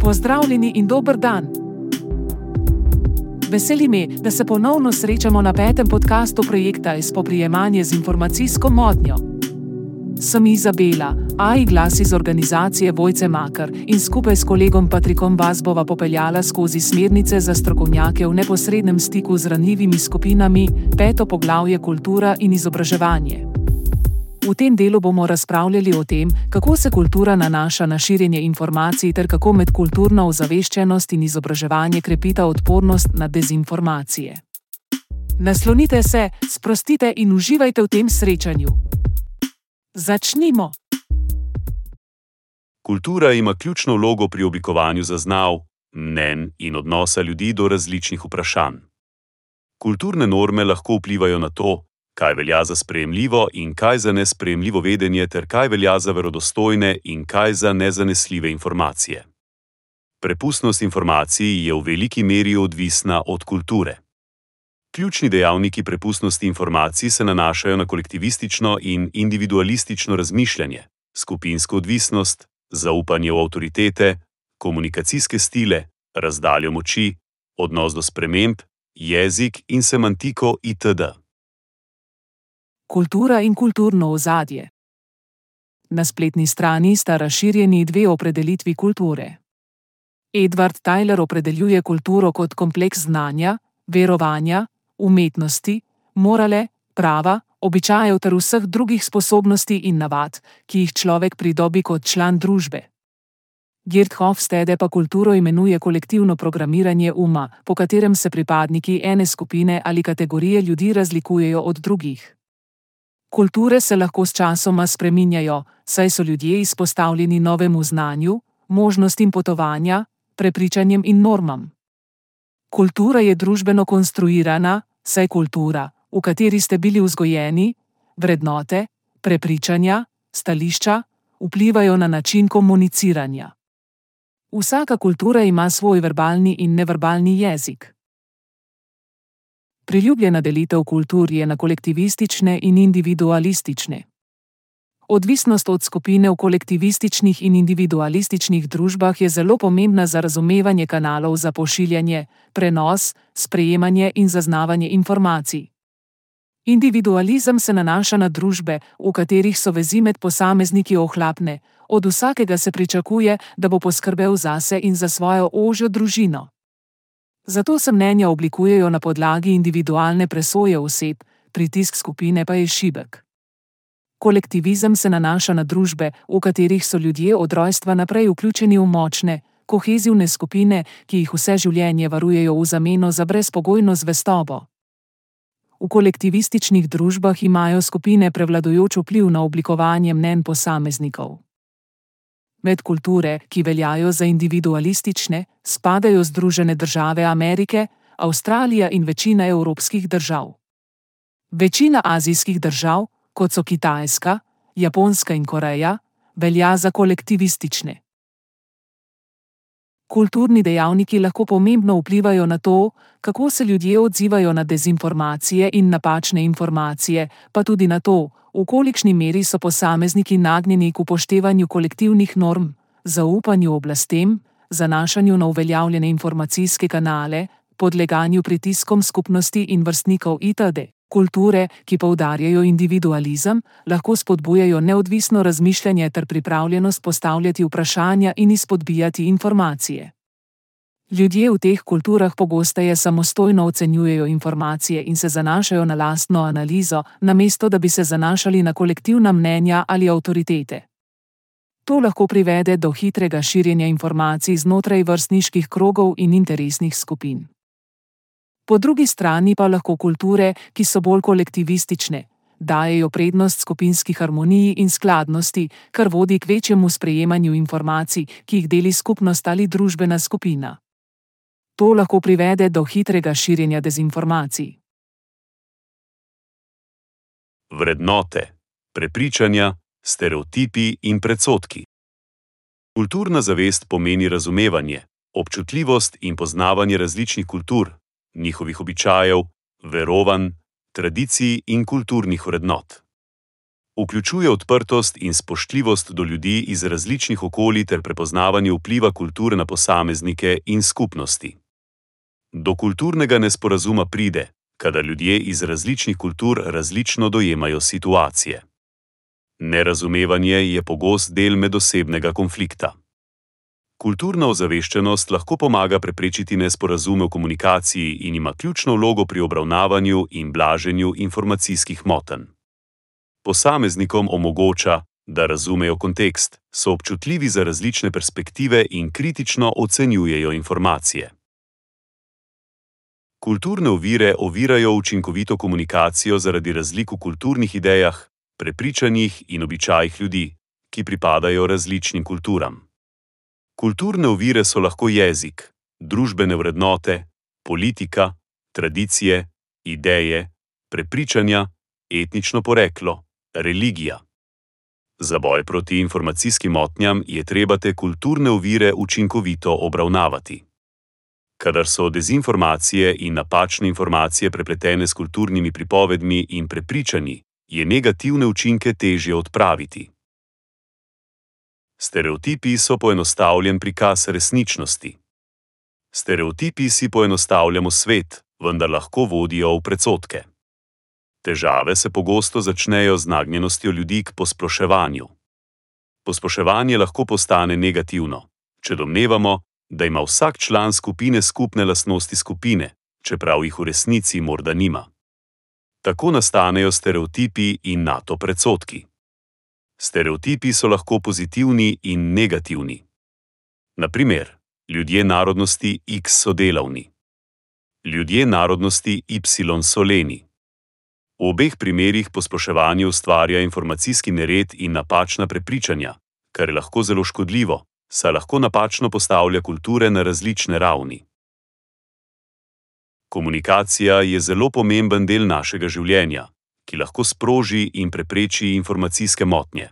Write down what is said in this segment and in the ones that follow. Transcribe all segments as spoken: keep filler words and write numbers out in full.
Pozdravljeni in dober dan! Veseli me, da se ponovno srečamo na petem podcastu projekta Spoprijemanje z informacijsko motnjo. Sem Izabela, A I glas iz organizacije Vojce Makar in skupaj s kolegom Patrikom vas bova popeljala skozi smernice za strokovnjake v neposrednem stiku z ranljivimi skupinami, peto poglavje kultura in izobraževanje. V tem delu bomo razpravljali o tem, kako se kultura nanaša na širjenje informacij ter kako medkulturna ozaveščenost in izobraževanje krepita odpornost na dezinformacije. Naslonite se, sprostite in uživajte v tem srečanju. Začnimo! Kultura ima ključno vlogo pri oblikovanju zaznav, mnenj in odnosa ljudi do različnih vprašanj. Kulturne norme lahko vplivajo na to, kaj velja za sprejemljivo in kaj za nesprejemljivo vedenje ter kaj velja za verodostojne in kaj za nezanesljive informacije. Prepustnost informacij je v veliki meri odvisna od kulture. Ključni dejavniki prepustnosti informacij se nanašajo na kolektivistično in individualistično razmišljanje, skupinsko odvisnost, zaupanje v avtoritete, komunikacijske stile, razdaljo moči, odnos do sprememb, jezik in semantiko itd. Kultura in kulturno ozadje. Na spletni strani sta razširjeni dve opredelitvi kulture. Edward Tyler opredeljuje kulturo kot kompleks znanja, verovanja, umetnosti, morale, prava, običajev ter vseh drugih sposobnosti in navad, ki jih človek pridobi kot član družbe. Geert Hofstede pa kulturo imenuje kolektivno programiranje uma, po katerem se pripadniki ene skupine ali kategorije ljudi razlikujejo od drugih. Kulture se lahko s časoma spreminjajo, saj so ljudje izpostavljeni novemu znanju, možnostim potovanja, prepričanjem in normam. Kultura je družbeno konstruirana, saj kultura, v kateri ste bili vzgojeni, vrednote, prepričanja, stališča, vplivajo na način komuniciranja. Vsaka kultura ima svoj verbalni in neverbalni jezik. Priljubljena delitev kultur je na kolektivistične in individualistične. Odvisnost od skupine v kolektivističnih in individualističnih družbah je zelo pomembna za razumevanje kanalov za pošiljanje, prenos, sprejemanje in zaznavanje informacij. Individualizem se nanaša na družbe, v katerih so vezi med posamezniki ohlapne, od vsakega se pričakuje, da bo poskrbel zase in za svojo ožjo družino. Zato se mnenja oblikujejo na podlagi individualne presoje oseb, pritisk skupine pa je šibek. Kolektivizem se nanaša na družbe, v katerih so ljudje od rojstva naprej vključeni v močne, kohezivne skupine, ki jih vse življenje varujejo v zameno za brezpogojno zvestobo. V kolektivističnih družbah imajo skupine prevladujoč vpliv na oblikovanje mnenj posameznikov. Med kulture, ki veljajo za individualistične, spadajo Združene države Amerike, Avstralija in večina evropskih držav. Večina azijskih držav, kot so Kitajska, Japonska in Koreja, velja za kolektivistične. Kulturni dejavniki lahko pomembno vplivajo na to, kako se ljudje odzivajo na dezinformacije in napačne informacije, pa tudi na to, v kolikšni meri so posamezniki nagnjeni k upoštevanju kolektivnih norm, zaupanju oblastem, zanašanju na uveljavljene informacijske kanale, podleganju pritiskom skupnosti in vrstnikov itd. Kulture, ki poudarjajo individualizem, lahko spodbujajo neodvisno razmišljanje ter pripravljenost postavljati vprašanja in izpodbijati informacije. Ljudje v teh kulturah pogosteje samostojno ocenjujejo informacije in se zanašajo na lastno analizo, namesto da bi se zanašali na kolektivna mnenja ali avtoritete. To lahko privede do hitrega širjenja informacij znotraj vrstniških krogov in interesnih skupin. Po drugi strani pa lahko kulture, ki so bolj kolektivistične, dajejo prednost skupinski harmoniji in skladnosti, kar vodi k večjemu sprejemanju informacij, ki jih deli skupnost ali družbena skupina. To lahko privede do hitrega širjenja dezinformacij. Vrednote, prepričanja, stereotipi in predsodki. Kulturna zavest pomeni razumevanje, občutljivost in poznavanje različnih kultur, njihovih običajev, verovanj, tradicij in kulturnih vrednot. Vključuje odprtost in spoštljivost do ljudi iz različnih okolij ter prepoznavanje vpliva kulture na posameznike in skupnosti. Do kulturnega nesporazuma pride, kadar ljudje iz različnih kultur različno dojemajo situacije. Nerazumevanje je pogost del medosebnega konflikta. Kulturna ozaveščenost lahko pomaga preprečiti nesporazume v komunikaciji in ima ključno vlogo pri obravnavanju in blaženju informacijskih motenj. Posameznikom omogoča, da razumejo kontekst, so občutljivi za različne perspektive in kritično ocenjujejo informacije. Kulturne ovire ovirajo učinkovito komunikacijo zaradi razlik v kulturnih idejah, prepričanjih in običajih ljudi, ki pripadajo različnim kulturam. Kulturne ovire so lahko jezik, družbene vrednote, politika, tradicije, ideje, prepričanja, etnično poreklo, religija. Za boj proti informacijskim motnjam je treba te kulturne ovire učinkovito obravnavati. Kadar so dezinformacije in napačne informacije prepletene s kulturnimi pripovedmi in prepričanji, je negativne učinke težje odpraviti. Stereotipi so poenostavljen prikaz resničnosti. Stereotipi si poenostavljamo svet, vendar lahko vodijo v predsodke. Težave se pogosto začnejo z nagnjenostjo ljudi k posploševanju. Posploševanje lahko postane negativno, če domnevamo, da ima vsak član skupine skupne lastnosti skupine, čeprav jih v resnici morda nima. Tako nastanejo stereotipi in nato predsodki. Stereotipi so lahko pozitivni in negativni. Na primer, ljudje narodnosti X so delavni. Ljudje narodnosti Y so leni. V obeh primerih posploševanje ustvarja informacijski nered in napačna prepričanja, kar je lahko zelo škodljivo, saj lahko napačno postavlja kulture na različne ravni. Komunikacija je zelo pomemben del našega življenja, ki lahko sproži in prepreči informacijske motnje.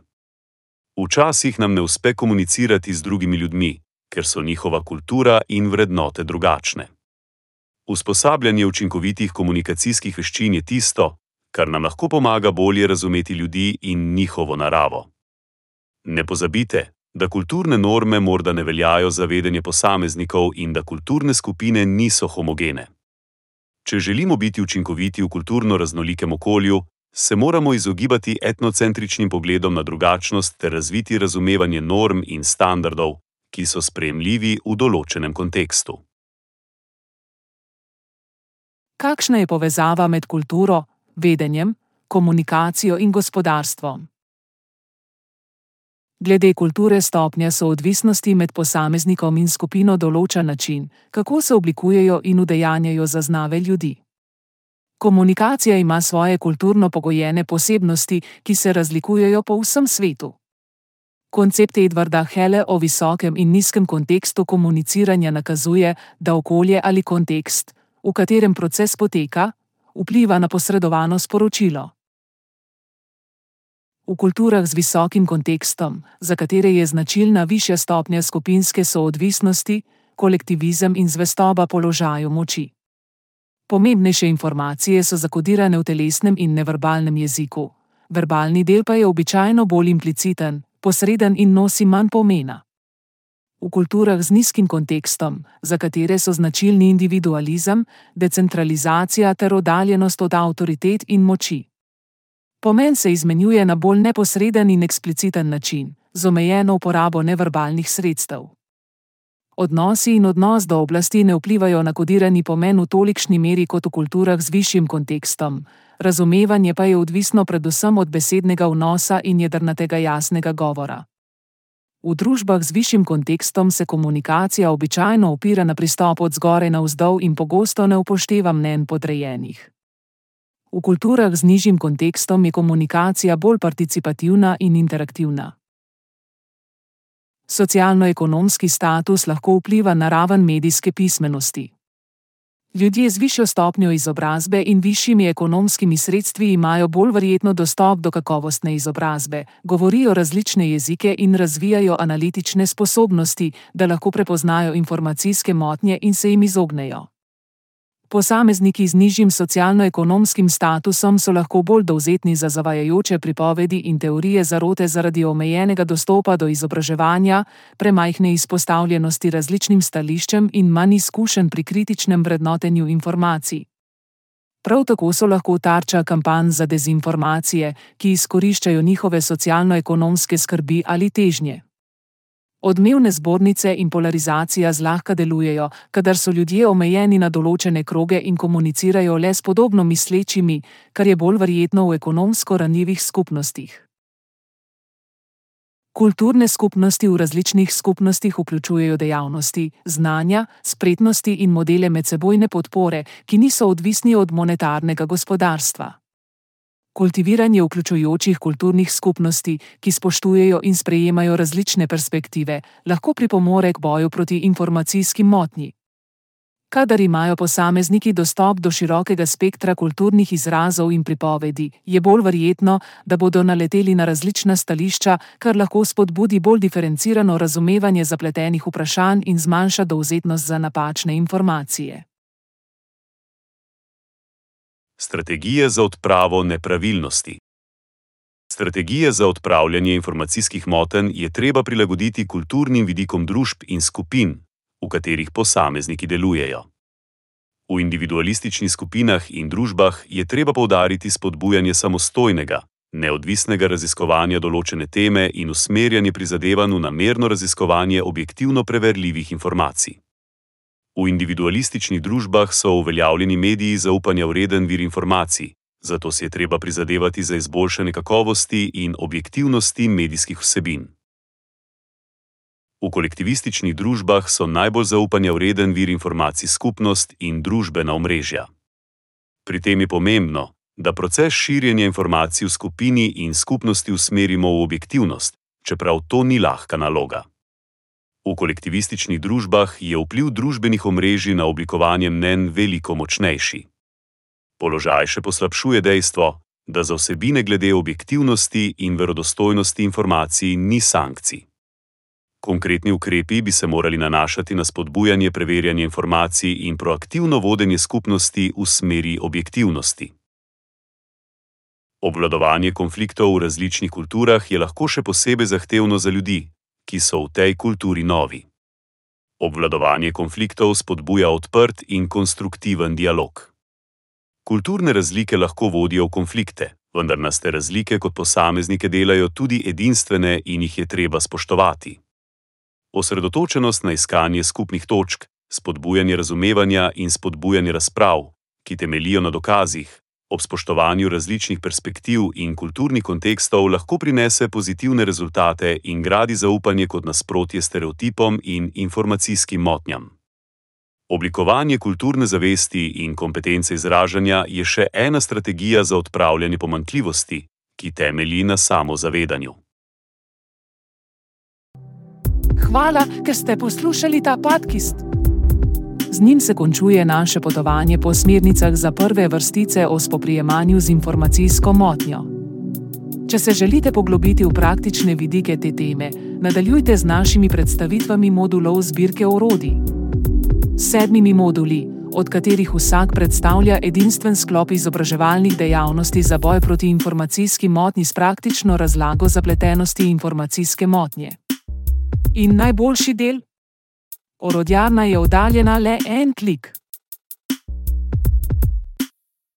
Včasih nam ne uspe komunicirati z drugimi ljudmi, ker so njihova kultura in vrednote drugačne. Usposabljanje učinkovitih komunikacijskih veščin je tisto, kar nam lahko pomaga bolje razumeti ljudi in njihovo naravo. Ne pozabite, da kulturne norme morda ne veljajo za vedenje posameznikov in da kulturne skupine niso homogene. Če želimo biti učinkoviti v kulturno raznolikem okolju, se moramo izogibati etnocentričnim pogledom na drugačnost ter razviti razumevanje norm in standardov, ki so sprejemljivi v določenem kontekstu. Kakšna je povezava med kulturo, vedenjem, komunikacijo in gospodarstvom? Glede kulture stopnja soodvisnosti med posameznikom in skupino določa način, kako se oblikujejo in udejanjajo zaznave ljudi. Komunikacija ima svoje kulturno pogojene posebnosti, ki se razlikujejo po vsem svetu. Koncept Edwarda Hele o visokem in nizkem kontekstu komuniciranja nakazuje, da okolje ali kontekst, v katerem proces poteka, vpliva na posredovano sporočilo. V kulturah z visokim kontekstom, za katere je značilna višja stopnja skupinske soodvisnosti, kolektivizem in zvestoba položaju moči. Pomembnejše informacije so zakodirane v telesnem in neverbalnem jeziku, verbalni del pa je običajno bolj impliciten, posreden in nosi manj pomena. V kulturah z nizkim kontekstom, za katere so značilni individualizem, decentralizacija ter oddaljenost od avtoritet in moči. Pomen se izmenjuje na bolj neposreden in ekspliciten način, z omejeno uporabo neverbalnih sredstev. Odnosi in odnos do oblasti ne vplivajo na kodirani pomen v tolikšni meri kot v kulturah z višjim kontekstom, razumevanje pa je odvisno predvsem od besednega vnosa in jedrnatega jasnega govora. V družbah z višjim kontekstom se komunikacija običajno opira na pristop od zgoraj navzdol in pogosto ne upošteva mnenj podrejenih. V kulturah z nižjim kontekstom je komunikacija bolj participativna in interaktivna. Socialno-ekonomski status lahko vpliva na raven medijske pismenosti. Ljudje z višjo stopnjo izobrazbe in višjimi ekonomskimi sredstvi imajo bolj verjetno dostop do kakovostne izobrazbe, govorijo različne jezike in razvijajo analitične sposobnosti, da lahko prepoznajo informacijske motnje in se jim izognejo. Posamezniki z nižjim socialno-ekonomskim statusom so lahko bolj dovzetni za zavajajoče pripovedi in teorije zarote zaradi omejenega dostopa do izobraževanja, premajhne izpostavljenosti različnim stališčem in manj izkušenj pri kritičnem vrednotenju informacij. Prav tako so lahko tarča kampanj za dezinformacije, ki izkoriščajo njihove socialno-ekonomske skrbi ali težnje. Odmevne zbornice in polarizacija zlahka delujejo, kadar so ljudje omejeni na določene kroge in komunicirajo le s podobno mislečimi, kar je bolj verjetno v ekonomsko ranljivih skupnostih. Kulturne skupnosti v različnih skupnostih vključujejo dejavnosti, znanja, spretnosti in modele medsebojne podpore, ki niso odvisni od monetarnega gospodarstva. Kultiviranje vključujočih kulturnih skupnosti, ki spoštujejo in sprejemajo različne perspektive, lahko pripomore k boju proti informacijskim motnji. Kadar imajo posamezniki dostop do širokega spektra kulturnih izrazov in pripovedi, je bolj verjetno, da bodo naleteli na različna stališča, kar lahko spodbudi bolj diferencirano razumevanje zapletenih vprašanj in zmanjša dovzetnost za napačne informacije. Strategije za odpravo nepravilnosti. Strategije za odpravljanje informacijskih motenj je treba prilagoditi kulturnim vidikom družb in skupin, v katerih posamezniki delujejo. V individualističnih skupinah in družbah je treba poudariti spodbujanje samostojnega, neodvisnega raziskovanja določene teme in usmerjanje prizadevanj v namerno raziskovanje objektivno preverljivih informacij. V individualističnih družbah so uveljavljeni mediji zaupanja vreden vir informacij, zato si je treba prizadevati za izboljšanje kakovosti in objektivnosti medijskih vsebin. V kolektivističnih družbah so najbolj zaupanja vreden vir informacij skupnost in družbena omrežja. Pri tem je pomembno, da proces širjenja informacij v skupini in skupnosti usmerimo v objektivnost, čeprav to ni lahka naloga. V kolektivističnih družbah je vpliv družbenih omrežij na oblikovanje mnenj veliko močnejši. Položaj še poslabšuje dejstvo, da za vsebine glede objektivnosti in verodostojnosti informacij ni sankcij. Konkretni ukrepi bi se morali nanašati na spodbujanje preverjanja informacij in proaktivno vodenje skupnosti v smeri objektivnosti. Obvladovanje konfliktov v različnih kulturah je lahko še posebej zahtevno za ljudi, ki so v tej kulturi novi. Obvladovanje konfliktov spodbuja odprt in konstruktiven dialog. Kulturne razlike lahko vodijo v konflikte, vendar nas te razlike kot posameznike delajo tudi edinstvene in jih je treba spoštovati. Osredotočenost na iskanje skupnih točk, spodbujanje razumevanja in spodbujanje razprav, ki temeljijo na dokazih, ob spoštovanju različnih perspektiv in kulturnih kontekstov lahko prinese pozitivne rezultate in gradi zaupanje kot nasprotje stereotipom in informacijskim motnjam. Oblikovanje kulturne zavesti in kompetence izražanja je še ena strategija za odpravljanje pomanjkljivosti, ki temelji na samozavedanju. Hvala, ker ste poslušali ta podcast. Z njim se končuje naše potovanje po smernicah za prve vrstice o spoprijemanju z informacijsko motnjo. Če se želite poglobiti v praktične vidike te teme, nadaljujte z našimi predstavitvami modulov zbirke orodij. S sedmimi moduli, od katerih vsak predstavlja edinstven sklop izobraževalnih dejavnosti za boj proti informacijski motnji s praktično razlago zapletenosti informacijske motnje. In najboljši del? Orodjarna je oddaljena le en klik.